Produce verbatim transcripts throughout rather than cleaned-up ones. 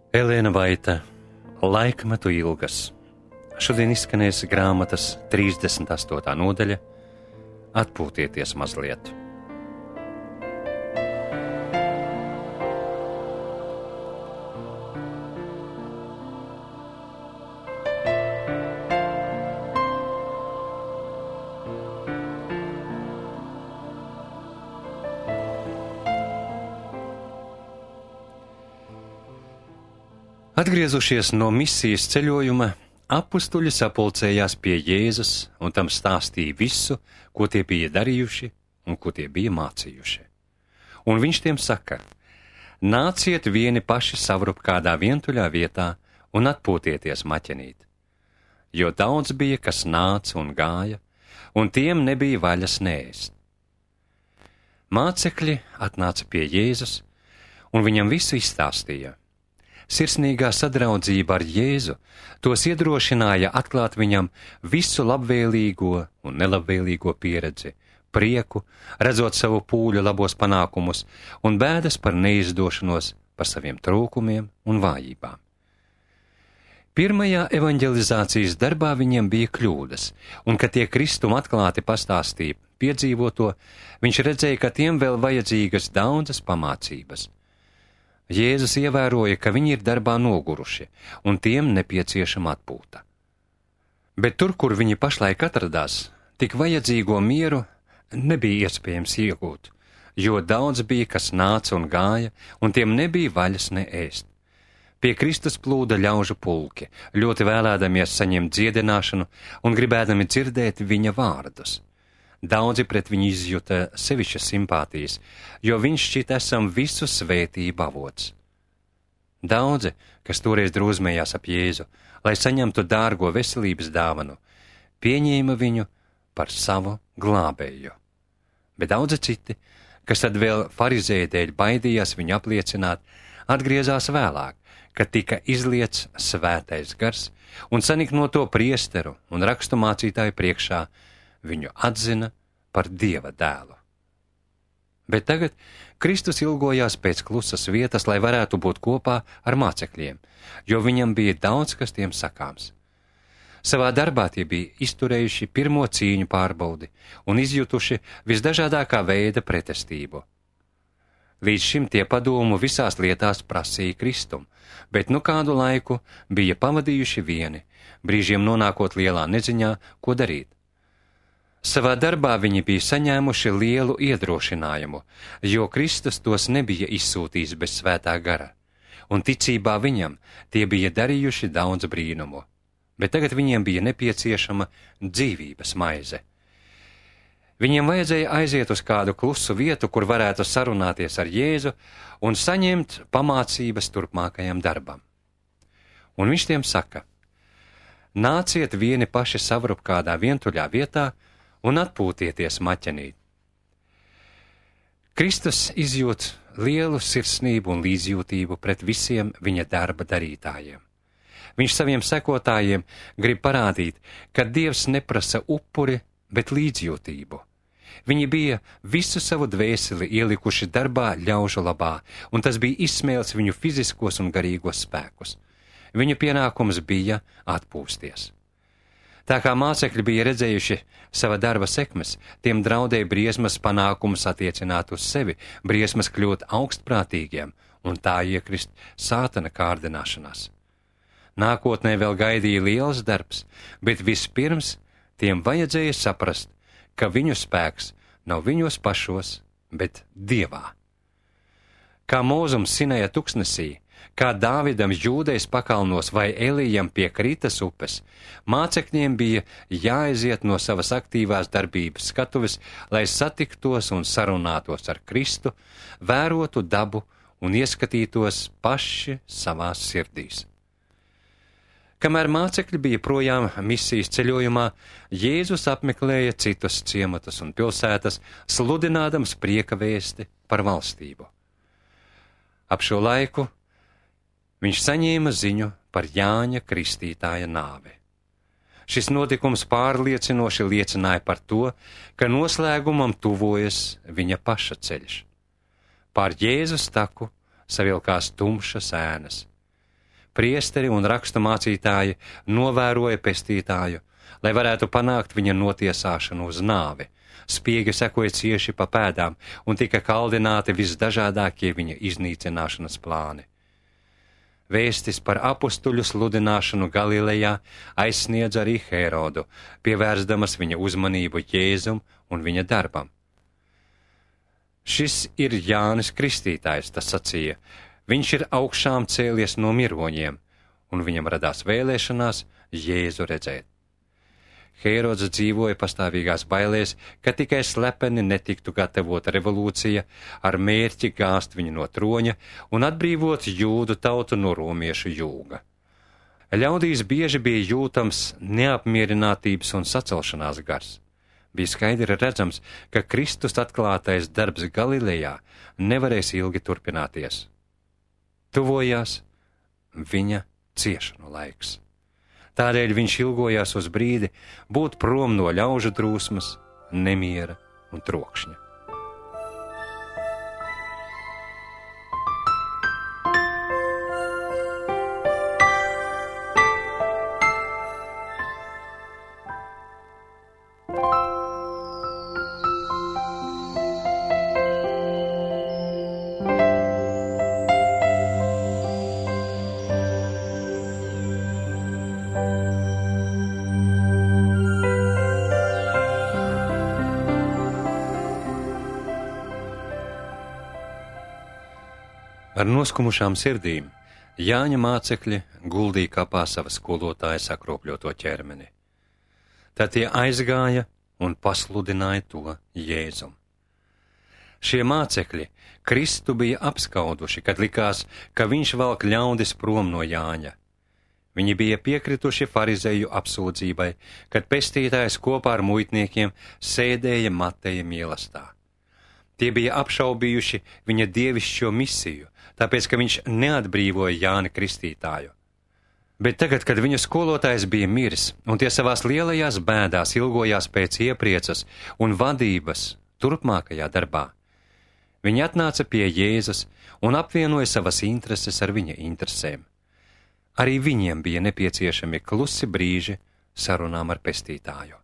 Elēna Vaita, Laikmetu ilgas. Šodien izskanēs grāmatas trīsdesmit astotā nodaļa Atpūtieties mazliet. Atgriezušies no misijas ceļojuma, apustuļi sapulcējās pie Jēzus un tam stāstīja visu, ko tie bija darījuši un ko tie bija mācījuši. Un viņš tiem saka: nāciet vieni paši savrup kādā vientuļā vietā un atpūtieties maķenīt. Jo daudz bija, kas nāca un gāja, un tiem nebija vaļas neēst. Mācekļi atnāca pie Jēzus un viņam visu izstāstīja. Sirsnīgā sadraudzība ar Jēzu tos iedrošināja atklāt viņam visu labvēlīgo un nelabvēlīgo pieredzi, prieku, redzot savu pūļu labos panākumus un bēdas par neizdošanos, par saviem trūkumiem un vājībām. Pirmajā evanģelizācijas darbā viņiem bija kļūdas, un, kad tie Kristum atklāti pastāstīja piedzīvoto, viņš redzēja, ka tiem vēl vajadzīgas daudzas pamācības. Jēzus ievēroja, ka viņi ir darbā noguruši, un tiem nepieciešama atpūta. Bet tur, kur viņi pašlaik atradās, tik vajadzīgo mieru nebija iespējams iegūt, jo daudz bija, kas nāca un gāja, un tiem nebija vaļas ne ēst. Pie Kristus plūda ļaužu pulki, ļoti vēlēdamies saņemt dziedināšanu un gribēdami dzirdēt viņa vārdus. Daudzi pret viņu izjuta sevišķas simpātijas, jo viņš šķita esam visu svētību avots. Daudzi, kas toreiz drūzmējās ap Jēzu, lai saņemtu dārgo veselības dāvanu, pieņēma viņu par savu glābēju. Bet daudzi citi, kas tad vēl farizēju dēļ baidījās viņu apliecināt, atgriezās vēlāk, kad tika izliets svētais gars un saniknoto priesteru un raksturmācītāju priekšā viņu atzina par Dieva dēlu. Bet tagad Kristus ilgojās pēc klusas vietas, lai varētu būt kopā ar mācekļiem, jo viņam bija daudz, kas tiem sakāms. Savā darbā tie bija izturējuši pirmo cīņu pārbaudi un izjutuši visdažādākā veida pretestību. Līdz šim tie padomu visās lietās prasīja Kristum, bet nu kādu laiku bija pavadījuši vieni, brīžiem nonākot lielā neziņā, ko darīt. Savā darbā viņi bija saņēmuši lielu iedrošinājumu, jo Kristus tos nebija izsūtījis bez svētā gara, un ticībā viņam tie bija darījuši daudz brīnumu, bet tagad viņiem bija nepieciešama dzīvības maize. Viņiem vajadzēja aiziet uz kādu klusu vietu, kur varētu sarunāties ar Jēzu un saņemt pamācības turpmākajam darbam. Un viņš tiem saka: nāciet vieni paši savrup kādā vientuļā vietā un atpūtieties maķenīt. Kristus izjūt lielu sirsnību un līdzjūtību pret visiem viņa darba darītājiem. Viņš saviem sekotājiem grib parādīt, ka Dievs neprasa upuri, bet līdzjūtību. Viņi bija visu savu dvēseli ielikuši darbā ļaužu labā, un tas bija izsmēlis viņu fiziskos un garīgos spēkus. Viņu pienākums bija atpūsties. Tā kā mācekļi bija redzējuši sava darba sekmes, tiem draudēja briesmas panākumus attiecināt uz sevi, briesmas kļūt augstprātīgiem un tā iekrist sātana kārdināšanās. Nākotnē vēl gaidīja liels darbs, bet vispirms tiem vajadzēja saprast, ka viņu spēks nav viņos pašos, bet Dievā. Kā Mūzums Sinaja tuksnesī, kā Dāvidam Jūdejas pakalnos vai Elijam pie Kritas upes, mācekļiem bija jāaiziet no savas aktīvās darbības skatuves, lai satiktos un sarunātos ar Kristu, vērotu dabu un ieskatītos paši savās sirdīs. Kamēr mācekļi bija projām misijas ceļojumā, Jēzus apmeklēja citus ciematus un pilsētas, sludinādams prieka vēsti par valstību. Ap šo laiku viņš saņēma ziņu par Jāņa Kristītāja nāvi. Šis notikums pārliecinoši liecināja par to, ka noslēgumam tuvojas viņa paša ceļš. Pār Jēzus taku savilkās tumšas ēnas. priesteri un rakstu mācītāji novēroja pestītāju, lai varētu panākt viņa notiesāšanu uz nāvi. Spiegi sekoja cieši pa pēdām un tika kaldināti visdažādākie viņa iznīcināšanas plāni. Vēstis par apustuļu sludināšanu Galilejā aizsniedz arī Hērodu, pievērsdamas viņa uzmanību Jēzum un viņa darbam. Šis ir Jānis Kristītājs, tas sacīja. Viņš ir augšām cēlies no miroņiem, un viņam radās vēlēšanās Jēzu redzēt. Hērods dzīvoja pastāvīgās bailēs, ka tikai slepeni netiktu gatavota revolūcija ar mērķi gāzt viņu no troņa un atbrīvot jūdu tautu no romiešu jūga. Ļaudīs bieži bija jūtams neapmierinātības un sacelšanās gars. Bija skaidri redzams, ka Kristus atklātais darbs Galilejā nevarēs ilgi turpināties. Tuvojās viņa ciešanu laiks. Tādēļ viņš ilgojās uz brīdi būt prom no ļaužu drūsmas, nemiera un trokšņa. Ar noskumušām sirdīm Jāņa mācekļi guldīja kapā sava skolotāja sakropļoto ķermeni. Tad tie aizgāja un pasludināja to Jēzum. Šie mācekļi Kristu bija apskauduši, kad likās, ka viņš velk ļaudis prom no Jāņa. Viņi bija piekrituši farizeju apsūdzībai, kad pestītājs kopā ar muitniekiem sēdēja Mateja mīlestā. Tie bija apšaubījuši viņa dievišķo misiju, tāpēc, ka viņš neatbrīvoja Jāni Kristītāju. Bet tagad, kad viņu skolotājs bija miris, un tie savās lielajās bēdās ilgojās pēc iepriecas un vadības turpmākajā darbā, viņi atnāca pie Jēzus un apvienoja savas intereses ar viņa interesēm. Arī viņiem bija nepieciešami klusi brīži sarunām ar pestītāju.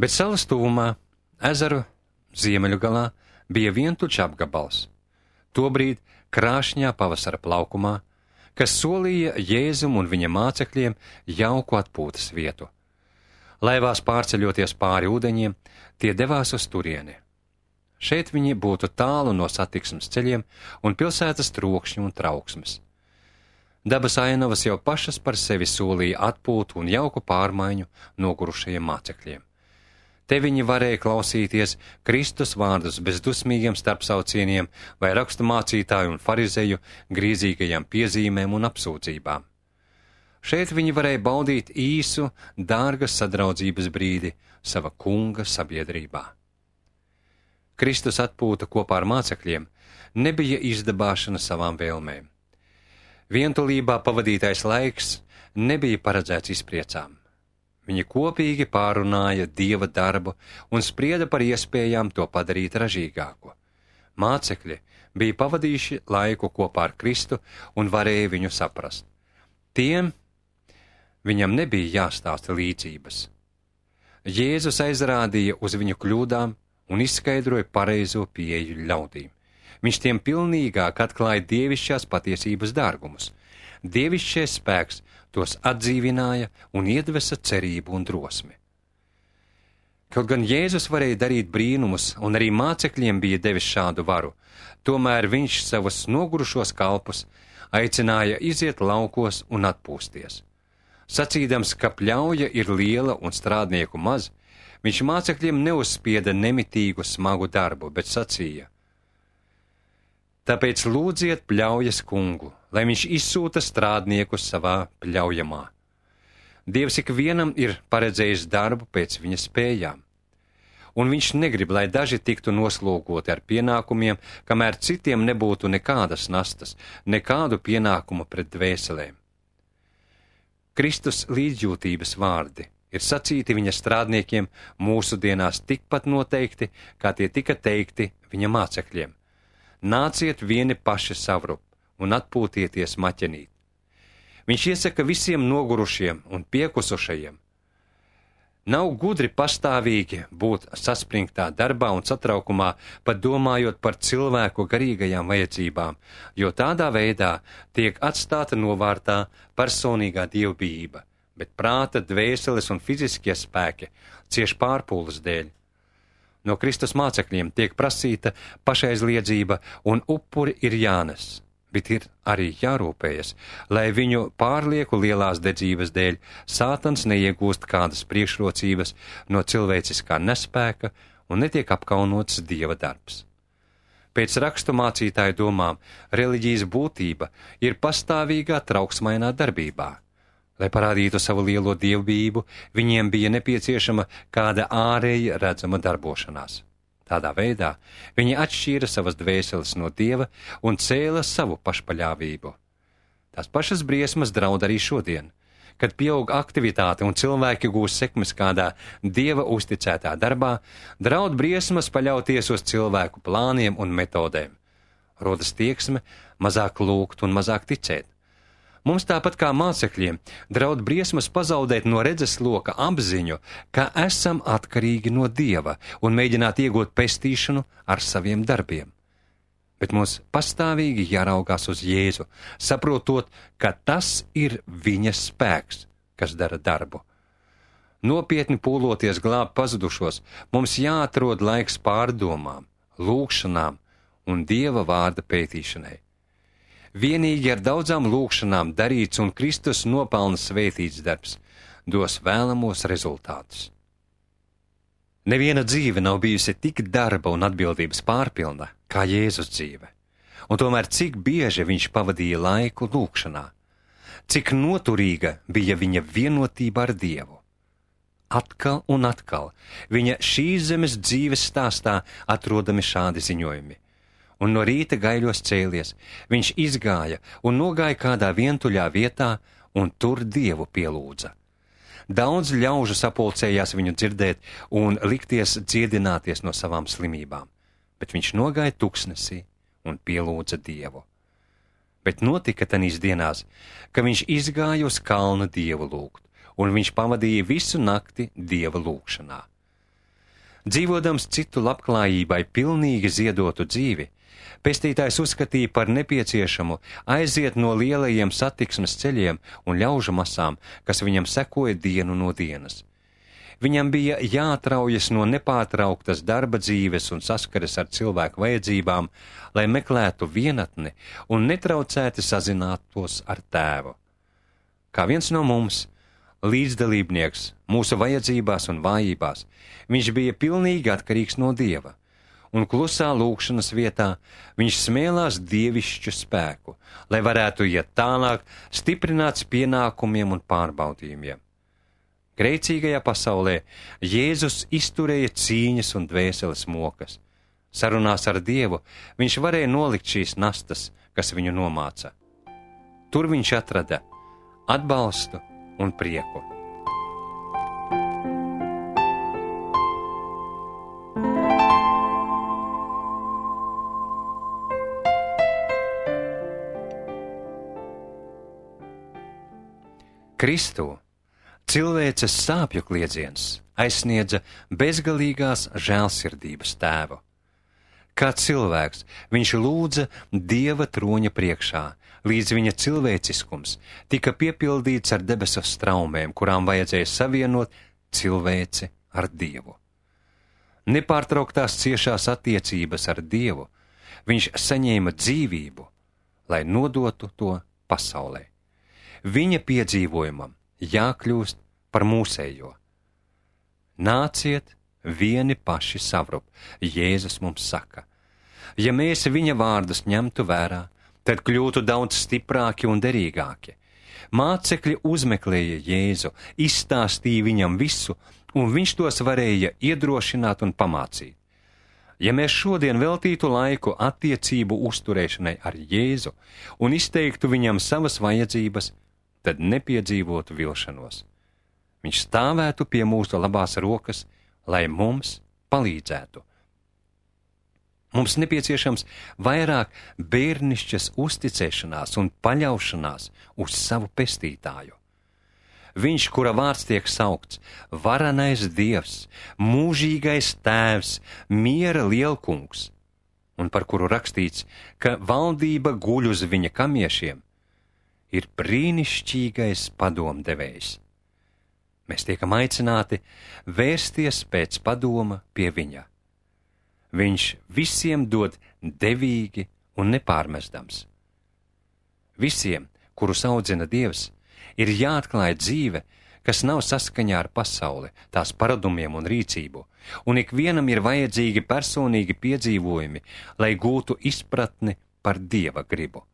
Bet salas tuvumā, ezeru ziemeļu galā, bija vientuļš apgabals, tobrīd krāšņā pavasara plaukumā, kas solīja Jēzum un viņa mācekļiem jauku atpūtas vietu. Laivās pārceļoties pāri ūdeņiem, tie devās uz turieni. Šeit viņi būtu tālu no satiksmes ceļiem un pilsētas trokšņu un trauksmes. Dabas ainavas jau pašas par sevi solīja atpūtu un jauku pārmaiņu nogurušajiem mācekļiem. Te viņi varēja klausīties Kristus vārdus bez dusmīgiem starpsaucieniem vai rakstu mācītāju un farizeju grīzīgajām piezīmēm un apsūdzībām. Šeit viņi varēja baudīt īsu, dārgas sadraudzības brīdi sava kunga sabiedrībā. Kristus atpūta kopā ar mācekļiem nebija izdabāšana savām vēlmēm. Vientulībā pavadītais laiks nebija paredzēts izpriecām. Viņi kopīgi pārunāja Dieva darbu un sprieda par iespējām to padarīt ražīgāku. Mācekļi bija pavadījuši laiku kopā ar Kristu un varēja viņu saprast. Tiem viņam nebija jāstāsta līdzības. Jēzus aizrādīja uz viņu kļūdām un izskaidroja pareizo pieeju ļaudīm. Viņš tiem pilnīgāk atklāja dievišķās patiesības dārgumus. Dievišķais spēks tos atdzīvināja un iedvesa cerību un drosmi. Kaut gan Jēzus varēja darīt brīnumus un arī mācekļiem bija devis šādu varu, tomēr viņš savus nogurušos kalpus aicināja iziet laukos un atpūsties. Sacīdams, ka pļauja ir liela un strādnieku maz, viņš mācekļiem neuzspieda nemitīgu smagu darbu, bet sacīja: Tāpēc lūdziet pļaujas kungu, lai viņš izsūta strādniekus savā pļaujamā. Dievs ikvienam ir paredzējis darbu pēc viņa spējām, un viņš negrib, lai daži tiktu noslogoti ar pienākumiem, kamēr citiem nebūtu nekādas nastas, nekādu pienākumu pret dvēselēm. Kristus līdzjūtības vārdi ir sacīti viņa strādniekiem mūsdienās tikpat noteikti, kā tie tika teikti viņa mācekļiem. Nāciet vieni paši savrup un atpūtieties maķenīt. Viņš iesaka visiem nogurušiem un piekusušajiem. Nav gudri pastāvīgi būt saspringtā darbā un satraukumā, pat domājot par cilvēku garīgajām vajadzībām, jo tādā veidā tiek atstāta novārtā personīgā dievbijība, bet prāta, dvēseles un fiziskie spēki cieš pārpūles dēļ. No Kristus mācekļiem tiek prasīta pašaizliedzība un upuri ir jānes, bet ir arī jārūpējas, lai viņu pārlieku lielās dedzības dēļ Sātans neiegūst kādas priekšrocības no cilvēciskā nespēka un netiek apkaunots Dieva darbs. Pēc rakstu mācītāju domām, reliģijas būtība ir pastāvīgā trauksmainā darbībā. Lai parādītu savu lielo dievbijību, viņiem bija nepieciešama kāda ārēja redzama darbošanās. Tādā veidā viņi atšķīra savas dvēseles no Dieva un cēla savu pašpaļāvību. Tās pašas briesmas draud arī šodien, kad pieaug aktivitāte un cilvēki gūs sekmes kādā Dieva uzticētā darbā, draud briesmas paļauties uz cilvēku plāniem un metodēm. Rodas tieksme mazāk lūgt un mazāk ticēt. Mums tāpat kā mācekļiem draud briesmas pazaudēt no redzesloka apziņu, ka esam atkarīgi no Dieva un mēģināt iegūt pestīšanu ar saviem darbiem. Bet mums pastāvīgi jāraugās uz Jēzu, saprotot, ka tas ir viņa spēks, kas dara darbu. Nopietni pūloties glābt pazudušos, mums jāatrod laiks pārdomām, lūgšanām un Dieva vārda pētīšanai. Vienīgi ar daudzām lūgšanām darīts un Kristus nopelna svētīts darbs dos vēlamos rezultātus. Neviena dzīve nav bijusi tik darba un atbildības pārpilna kā Jēzus dzīve, un tomēr cik bieži viņš pavadīja laiku lūgšanā, cik noturīga bija viņa vienotība ar Dievu. Atkal un atkal viņa šīs zemes dzīves stāstā atrodami šādi ziņojumi. Un no rīta gaiļos cēlies, viņš izgāja un nogāja kādā vientuļā vietā un tur Dievu pielūdza. Daudz ļaužu sapulcējās viņu dzirdēt un likties dziedināties no savām slimībām, bet viņš nogāja tuksnesī un pielūdza Dievu. Bet notika tanīs dienās, ka viņš izgāja uz kalnu Dievu lūgt, un viņš pavadīja visu nakti Dieva lūgšanā. Dzīvodams citu labklājībai pilnīgi ziedotu dzīvi, Pestītājs uzskatīja par nepieciešamu aiziet no lielajiem satiksmes ceļiem un ļaužu masām, kas viņam sekoja dienu no dienas. Viņam bija jāatraujas no nepārtrauktas darba dzīves un saskares ar cilvēku vajadzībām, lai meklētu vienatni un netraucēti sazinātos ar Tēvu. Kā viens no mums, līdzdalībnieks mūsu vajadzībās un vājībās, viņš bija pilnīgi atkarīgs no Dieva. Un klusā lūgšanas vietā viņš smēlās dievišķu spēku, lai varētu iet tālāk, stiprināts pienākumiem un pārbaudījumiem. Grēcīgajā pasaulē Jēzus izturēja cīņas un dvēseles mokas. Sarunās ar Dievu viņš varēja nolikt šīs nastas, kas viņu nomāca. Tur viņš atrada atbalstu un prieku. Kristū cilvēces sāpju kliedziens aizsniedza bezgalīgās žēlsirdības Tēvu. Kā cilvēks viņš lūdza Dieva troņa priekšā, līdz viņa cilvēciskums tika piepildīts ar debesu straumēm, kurām vajadzēja savienot cilvēci ar Dievu. Nepārtrauktās ciešās attiecības ar Dievu viņš saņēma dzīvību, lai nodotu to pasaulē. Viņa piedzīvojumam jākļūst par mūsējo. Nāciet vieni paši savrup, Jēzus mums saka. Ja mēs viņa vārdus ņemtu vērā, tad kļūtu daudz stiprāki un derīgāki. Mācekļi uzmeklēja Jēzu, izstāstīja viņam visu, un viņš tos varēja iedrošināt un pamācīt. Ja mēs šodien veltītu laiku attiecību uzturēšanai ar Jēzu un izteiktu viņam savas vajadzības, tad nepiedzīvotu vilšanos. Viņš stāvētu pie mūsu labās rokas, lai mums palīdzētu. Mums nepieciešams vairāk bērnišķas uzticēšanās un paļaušanās uz savu pestītāju. Viņš, kura vārds tiek saukts, varenais Dievs, mūžīgais Tēvs, miera lielkungs, un par kuru rakstīts, ka valdība guļ uz viņa kamiešiem, ir brīnišķīgais padomdevējs. Mēs tiekam aicināti vērsties pēc padoma pie viņa. Viņš visiem dod devīgi un nepārmestams. Visiem, kurus audzina Dievs, ir jāatklāj dzīve, kas nav saskaņā ar pasauli, tās paradumiem un rīcību, un ikvienam ir vajadzīgi personīgi piedzīvojumi, lai gūtu izpratni par Dieva gribu.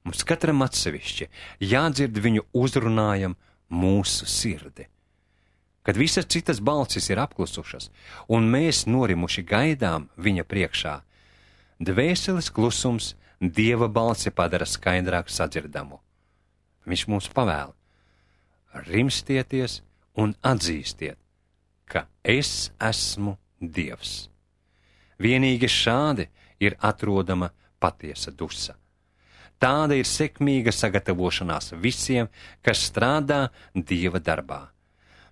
Mums katram atsevišķi jādzird viņu uzrunājam mūsu sirdi. Kad visas citas balsis ir apklusušas, un mēs norimuši gaidām viņa priekšā, dvēseles klusums Dieva balsi padara skaidrāk sadzirdamu. Viņš mums pavēl: rimstieties un atzīstiet, ka es esmu Dievs. Vienīgi šādi ir atrodama patiesa dusa. Tāda ir sekmīga sagatavošanās visiem, kas strādā Dieva darbā.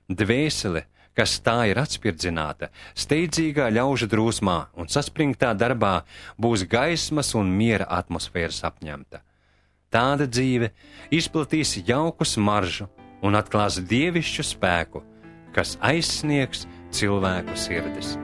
Dvēsele, kas tā ir atspirdzināta, steidzīgā ļaužu drūsmā un saspringtā darbā, būs gaismas un miera atmosfēras apņemta. Tāda dzīve izplatīs jauku smaržu un atklās dievišķu spēku, kas aizsniegs cilvēku sirdis.